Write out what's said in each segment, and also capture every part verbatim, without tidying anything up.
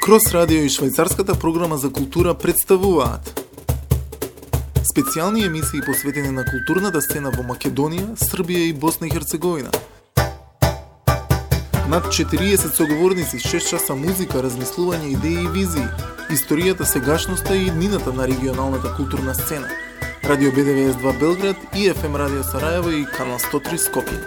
Крос радио и Швајцарската програма за култура представуваат специјални емисии посветени на културната сцена во Македонија, Србија и Босна и Херцеговина. Над четириесет соговорници, шест часа музика, размислување, идеи и визии, историјата, сегашноста и иднината на регионалната културна сцена. Радио Б Д В С два Белград и Ф М Радио Сараево и Канал сто три Скопје.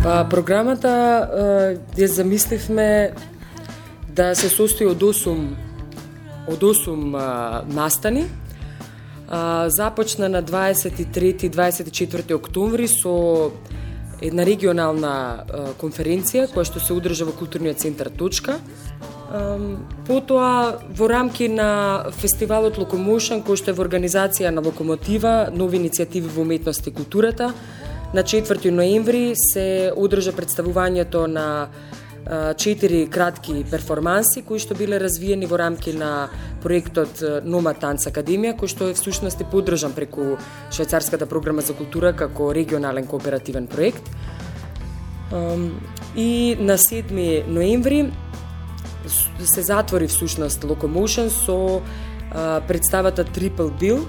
Па, програмата ја замисливме да се состои од осум од осум а, настани. А, започна на дваесет и трети и дваесет и четврти октомври со една регионална а, конференција која што се одржа во културниот центар Точка. А, потоа во рамки на фестивалот Локомошн, кој што е во организација на Локомотива, нови иницијативи во уметност и културата, на четврти ноември се одржа представувањето на четири кратки перформанси кои што биле развиени во рамки на проектот Номад Танц Академија, кој што е всушност поддржан преку Швајцарската програма за култура како регионален кооперативен проект. И на седми ноември се затвори всушност Локомошн со представата Triple Bill.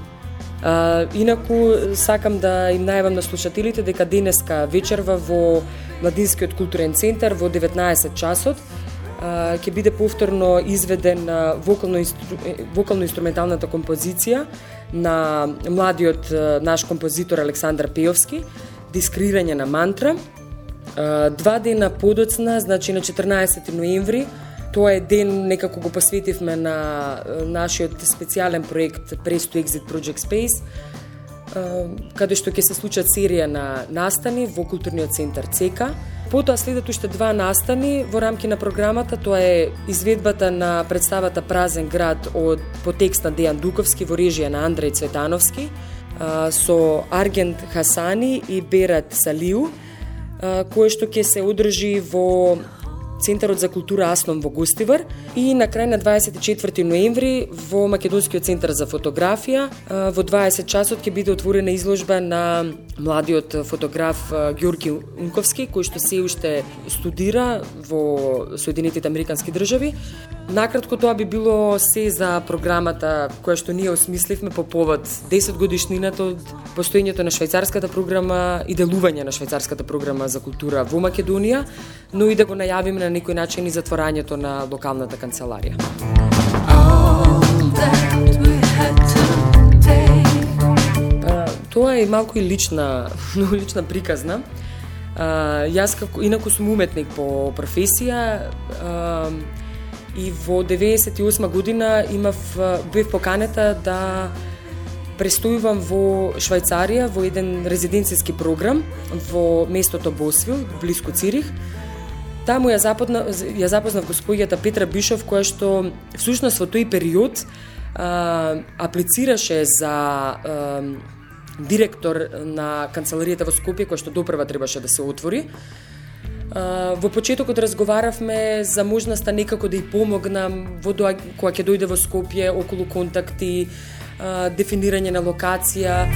Uh, инаку сакам да им најавам на слушателите дека денеска вечерва во Младинскиот културен центар во деветнаесет часот uh, ќе биде повторно изведен uh, вокално-инструменталната композиција на младиот uh, наш композитор Александар Пеовски, Дискрирање на мантра. Uh, два дена подоцна, значи на четрнаесети ноември, тоа е ден некако го посветивме на нашиот специјален проект Press to Exit Project Space, каде што ќе се случат серија на настани во културниот центар Цека. Потоа следат уште два настани во рамки на програмата, тоа е изведбата на представата Празен град од по текст на Дејан Дуковски во режија на Андреј Цветановски, со Аргент Хасани и Берат Салиу, кое што ќе се одржи во Центарот за култура Аслом во Гостивар, и на крај на дваесет и четврти ноември во Македонскиот центар за фотографија во дваесет часот ќе биде отворена изложба на младиот фотограф Ѓорги Унковски, кој што се уште студира во Соединетите Американски држави. Накратко, тоа би било се за програмата која што ние осмисливме по повод десет годишнината од постоењето на Швајцарската програма и делување на Швајцарската програма за култура во Македонија, но и да го најавиме на некој начин и затворањето на локалната канцеларија. Тоа е малку и лична, многу лична приказна. А, јас како инаку сум уметник по професија, а, и во деветдесет и осма година имав бев поканета да престојувам во Швајцарија во еден резиденцијски програм во местото Босвил, блиску Цирих. Таму ја запознав, ја запознав господјата Петра Бишов, која што всушност во тој период а, аплицираше за а, директор на канцеларијата во Скопје, која што допрва требаше да се отвори. Uh, во почетокот разговаравме за можноста некако да ја помогнам во доа, кога ќе дојде во Скопје, околу контакти, uh, дефинирање на локација.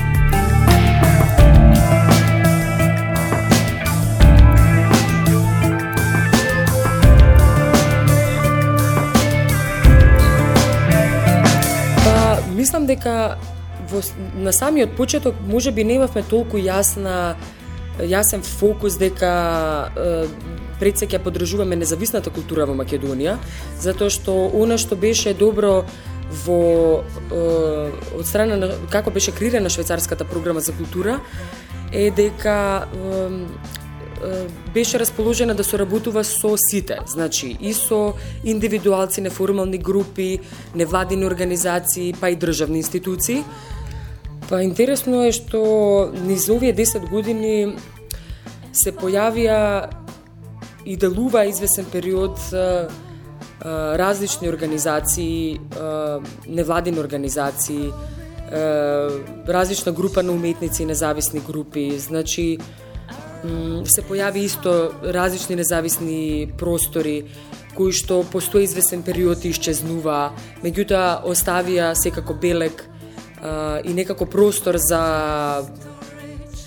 Па, мислам дека во, на самиот почеток можеби немавме толку јасна јасен фокус дека е, пред се ќе поддржуваме независната култура во Македонија, затоа што она што беше добро во е, од страна на како беше креирана Швајцарската програма за култура е дека е, е, беше расположена да соработува со сите, значи и со индивидуалци, неформални групи, невладини организации, па и државни институции. Па интересно е што низ овие десет години се појавија и делува извесен период а, а, различни организации, а, невладини организации, а, различна група на уметници и независни групи. Значи, се појави исто различни независни простори кои што постои известен период и исчезнува, меѓутоа оставија секако белег а, и некако простор за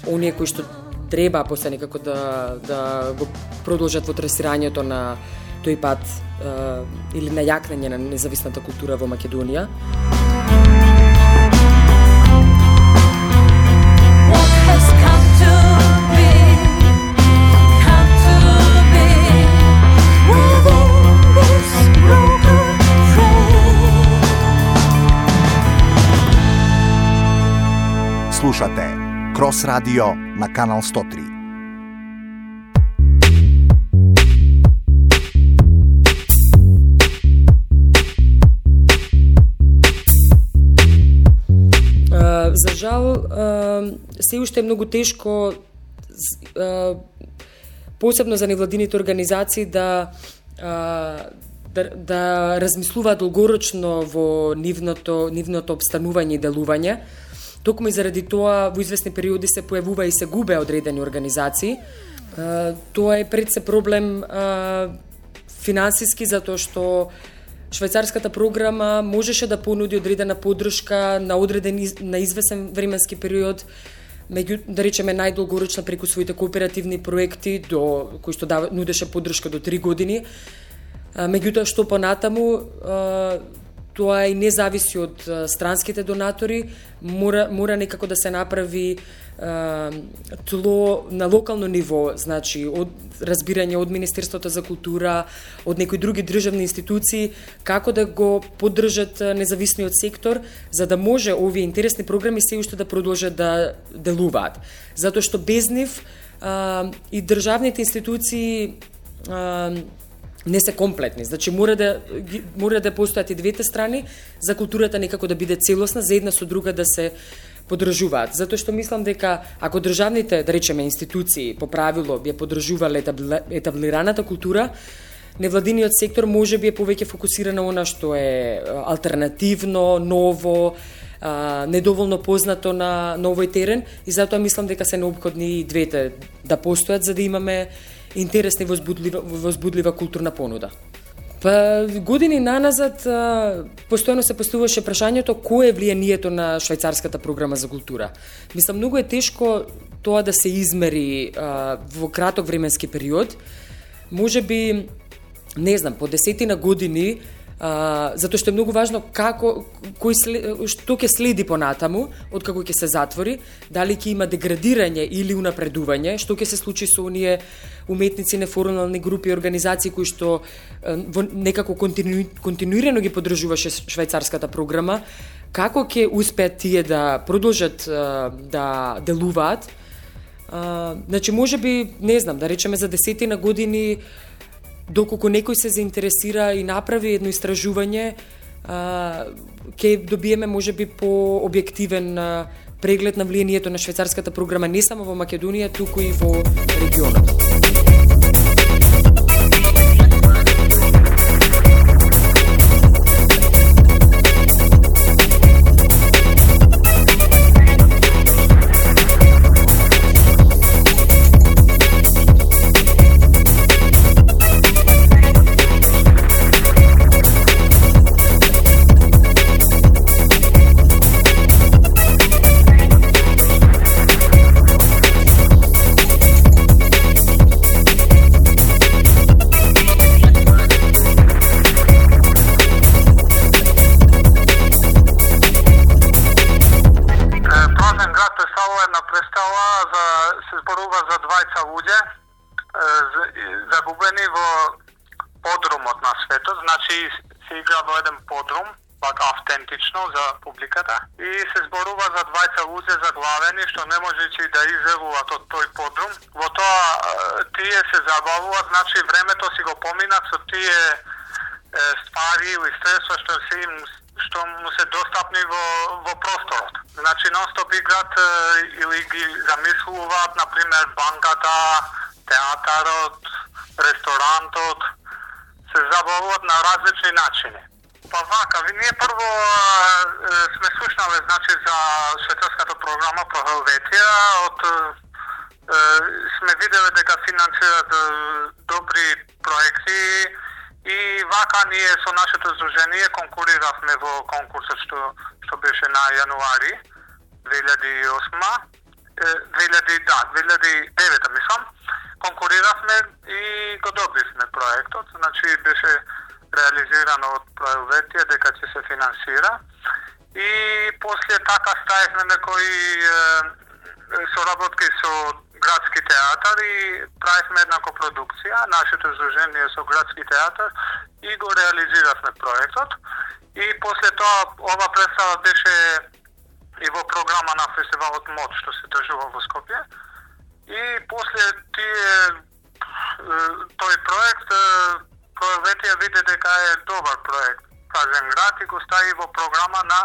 оние кои што треба после некако да, да го продолжат во трасирањето на тој пат а, или на јакнење на независната култура во Македонија. Слушате Крос Радио на Канал сто три. Uh, за жал, uh, се уште е многу тешко, uh, посебно за невладините организации, да, uh, да, да размислуваат долгорочно во нивното, нивното обстанување и делување. Токму и заради тоа во известни периоди се појавува и се губе одредени организации. Uh, тоа е пред се проблем uh, финансиски, затоа што швајцарската програма можеше да понуди одредена поддршка на одреден на известен временски период, меѓу да речеме најдолгорочна преку своите кооперативни проекти до кои што дава, нудеше поддршка до три години. Меѓутоа што понатаму тоа и не зависи од странските донатори, мора мора некако да се направи тло на локално ниво, значи од разбирање од Министерството за култура, од некои други државни институции, како да го поддржат независниот сектор, за да може овие интересни програми се уште да продолжат да делуваат. Затоа што без нив а, и државните институции а, не се комплетни. Значи мора да мора да постојат и двете страни за културата некако да биде целосна, за една со друга да се поддржуваат. Затоа што мислам дека ако државните, да речеме, институции по правило би поддржувале етаблираната култура, невладиниот сектор може би е повеќе фокусиран на она што е алтернативно, ново, а, недоволно познато на новој терен, и затоа мислам дека се необходни и двете да постојат за да имаме интересна и возбудлива, возбудлива културна понуда. Па години наназад постојано се поставуваше прашањето кое е влијанието на швајцарската програма за култура. Мислам, многу е тешко тоа да се измери а, во краток временски период. Може би, не знам, по десетина години, а, затоа што е многу важно како кој след, што ќе следи понатаму од како ќе се затвори, дали ќе има деградирање или унапредување, што ќе се случи со оние уметници, неформални групи и организации кои што во некако контину, континуирано ги поддржуваше швајцарската програма, како ќе успеат тие да продолжат да делуваат. Значи, може би, не знам, да речеме за десетина години, доколку некој се заинтересира и направи едно истражување, ќе добиеме можеби по објективен преглед на влијанието на швајцарската програма не само во Македонија, туку и во регионот. Загубени во подрумот на светот, значи се игра во еден подрум, вака автентично за публиката, и се зборува за двајца луѓе заглавени што не можејќи да излегуваат од тој подрум. Во тоа тие се забавуваат, значи времето си го поминат со тие е, ствари или средства што се им што му се достапни во, во просторот. Значи нон-стоп играт е, или ги замислуваат, например, банката, театарот, ресторантот, се забавуваат на различни начини. Па вака, ние прво е, сме слушнале, значи, за швајцарската програма по Хелветија, од е, сме виделе дека финансираат е, добри проекти И вака ние со нашето здружение конкуриравме во конкурсот што што беше на јануари две илјади и осма, две илјади да, две илјади и девета мислам. Конкуриравме и го добивме проектот, значи беше реализирано од Пројоветија дека ќе се финансира. И после така ставивме некои соработки со Градски театар и правивме една копродукција, нашето здружение со Градски театар, и го реализиравме проектот. И после тоа ова представа беше и во програма на фестивалот МОД што се држува во Скопје. И после тие тој проект Пројоветија виде дека е добар проект Празен град и го стави во програма на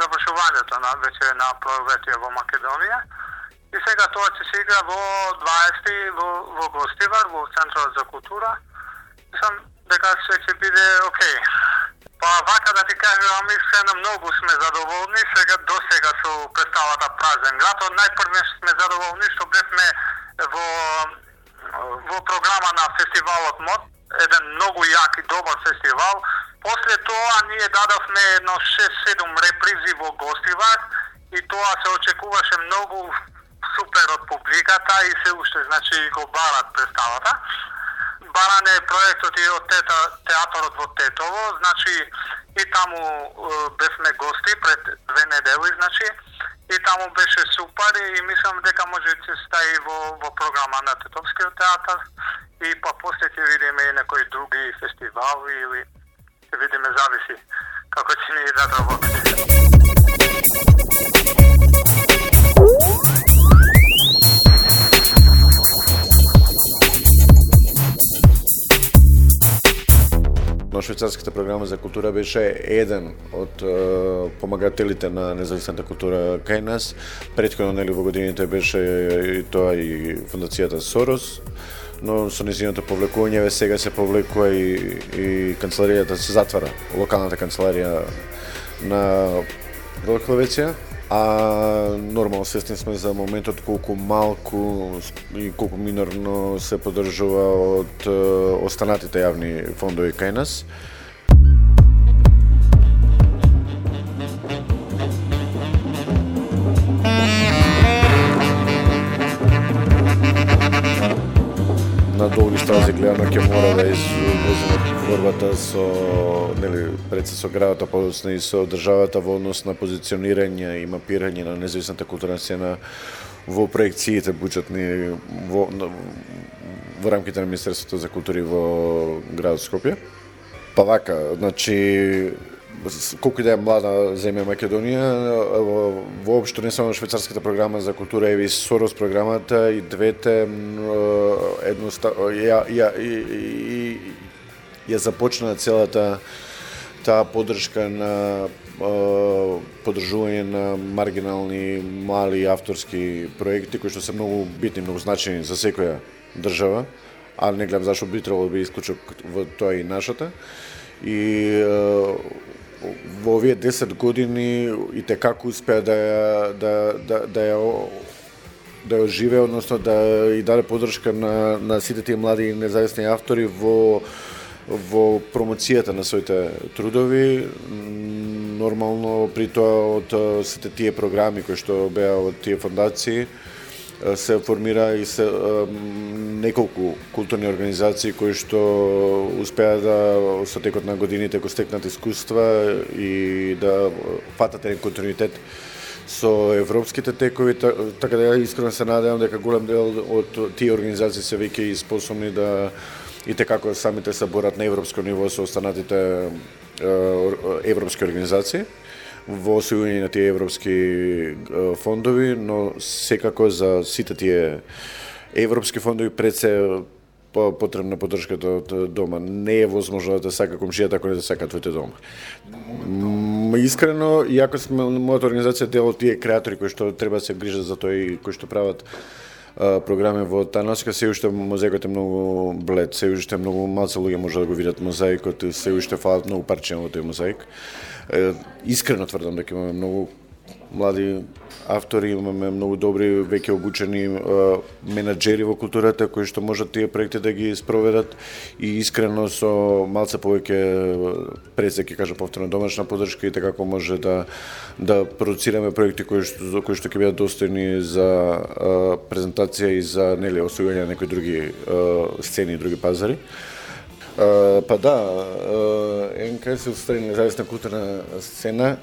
завршувањето на вече на Пројоветија во Македонија. И сега тоа ќе се игра во дваесети во, во Гостивар, во Центрот за култура. Мислам дека се ќе биде окей. Па вака да ти кажам, искрено многу сме задоволни сега до сега со представата Празен град. Од најпрво сме задоволни што бевме во во програма на фестивалот МОД, еден многу јак и добар фестивал. После тоа ние дадовме едно шест-седум репризи во Гостивар и тоа се очекуваше многу супер од публиката и се уште, значи, го барат представата. Баран е проектот и од тета, театорот во Тетово, значи и таму е, бевме гости пред две недели, значи, и таму беше супер и мислам дека може да се стаи во, во програма на Тетовскиот театар и па после ќе видиме и некои други фестивали или ќе видиме, зависи како ќе ни идат работите. Но швајцарската програма за култура беше еден од е, помагателите на независната култура кај нас. Претходно, нели, во годините беше и тоа и фондацијата Сорос, но со нејзиното повлекување сега се повлекува и, и канцеларијата се затвара, локалната канцеларија на Пројоветија. А нормално свесни сме за моментот колку малку и колку минорно се поддржува од останатите јавни фондови кај нас. На долги стази гледано ќе мора да извозиме борбата со, нели, пред се со градот, а подоцна и со државата во однос на позиционирање и мапирање на независната културна сцена во проекциите буџетни во, во рамките на Министерството за култура во градот Скопје. Па вака, значи, колку и да е млада земја Македонија, воопшто не само швајцарската програма за култура, еви Сорос програмата и двете едноставно ја ја и ја започна целата таа поддршка на поддржување на маргинални мали авторски проекти кои што се многу битни, многу значајни за секоја држава, а не гледам зашто би требало да би исклучок во тоа и нашата. И во овие десет години и те како успеа да ја да да да ја да ја оживее, односно да и даде поддршка на на сите тие млади независни автори во во промоцијата на своите трудови. Нормално при тоа од сите тие програми кои што беа од тие фондации се формира и се неколку културни организации кои што успеа да со текот на годините го стекнат искуства и да фатат еден континуитет со европските текови, така да ја искрено се надевам дека голем дел од тие организации се веќе и способни да и како самите се борат на европско ниво со останатите европски организации во освојување на тие европски фондови, но секако за сите тие европски фондови пред се потребна поддршката од дома. Не е возможно да сака комшијата ако не да сака твоите дома. Искрено, иако сме мојата организација дел од тие креатори кои што треба да се грижат за тоа и кои што прават програми во таа насока, се уште мозаикот е многу блед, се уште многу малце луѓе може да го видат мозаикот, се уште фалат многу парчиња во тој мозаик. Искрено тврдам дека имаме многу млади автори, имаме многу добри, веќе обучени uh, менаџери во културата кои што можат тие проекти да ги спроведат и искрено со малце повеќе пред ќе кажа повторно домашна поддршка и така како може да да продуцираме проекти кои што кои што ќе бидат достојни за uh, презентација и за нели освојување на некои други uh, сцени и други пазари. Uh, па да, uh, ен ка ес Устрани независна културна сцена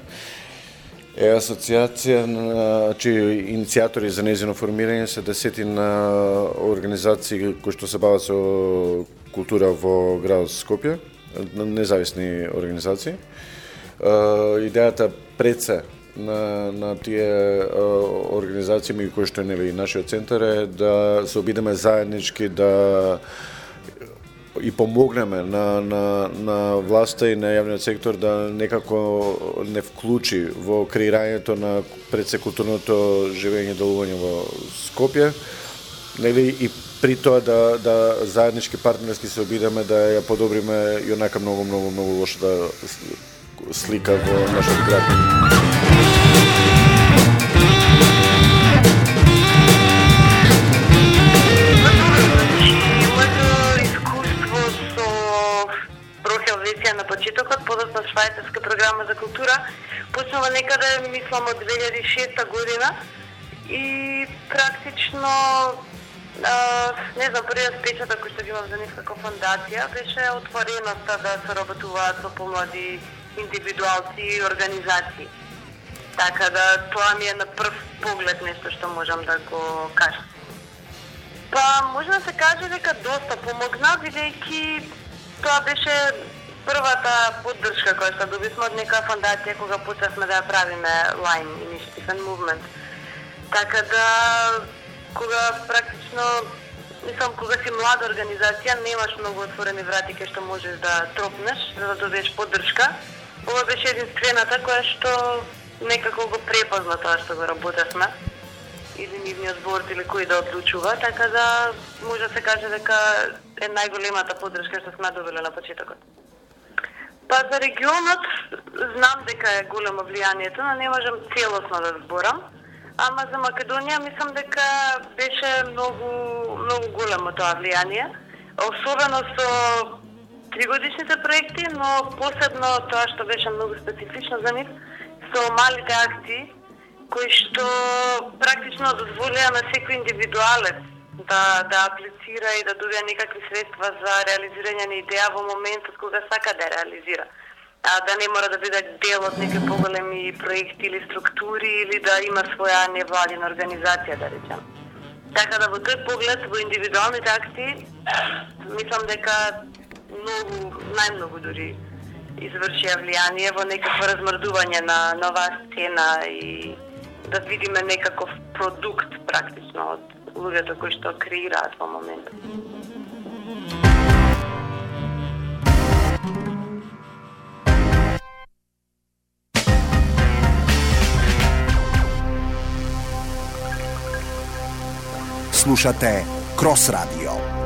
е асоциација на чии иницијатори за нејзино формирање се десетина организации кои што се бават со култура во градот Скопје, независни организации. Идејата пред се на на тие организации меѓу кои што е нели нашиот центар е да се обидеме заеднички да и помогнеме на, на, на власта и на јавниот сектор да некако не вклучи во креирањето на предсекултурното живење и делување во Скопје, нели и при тоа да, да заеднички партнерски се обидеме да ја подобриме и онака многу, многу, многу лошата слика во нашиот град. На почетокот, подоцна швајцарска програма за култура, почнува некаде, мислам, од две илјади и шеста година и практично, а, не знам, првиот печаток кој што ги имам за нив како фондација беше отвореноста да се работуваат со помлади индивидуалци и организации. Така да тоа ми е на прв поглед нешто што можам да го кажам. Па може да се каже дека доста помогна, бидејќи тоа беше првата поддршка која што добивме од некоја фондација кога почнавме да ја правиме Line Initiative and Movement. Така да, кога практично, мислам, кога си млада организација, немаш многу отворени врати кај што можеш да тропнеш, за да добиеш поддршка. Ова беше единствената која што некако го препозна тоа што го работевме, или нивниот борд или кој да одлучува, така да може да се каже дека е најголемата поддршка што сме добиле на почетокот. Па за регионот знам дека е големо влијанието, но не можам целосно да зборам, ама за Македонија мислам дека беше многу многу големо тоа влијание, особено со тригодишните проекти, но посебно тоа што беше многу специфично за нив, со малите акции кои што практично дозволија на секој индивидуалец да да аплицира и да добија некакви средства за реализирање на идеја во моментот кога сака да реализира. А да не мора да биде дел од некои поголеми проекти или структури или да има своја невладина организација, да речем. Така да во тој поглед во индивидуалните акции мислам дека многу, најмногу дури извршија влијание во некакво размрдување на нова сцена и да видиме некаков продукт практично од луѓето кои што креираат во моментот. Слушате Крос Радио.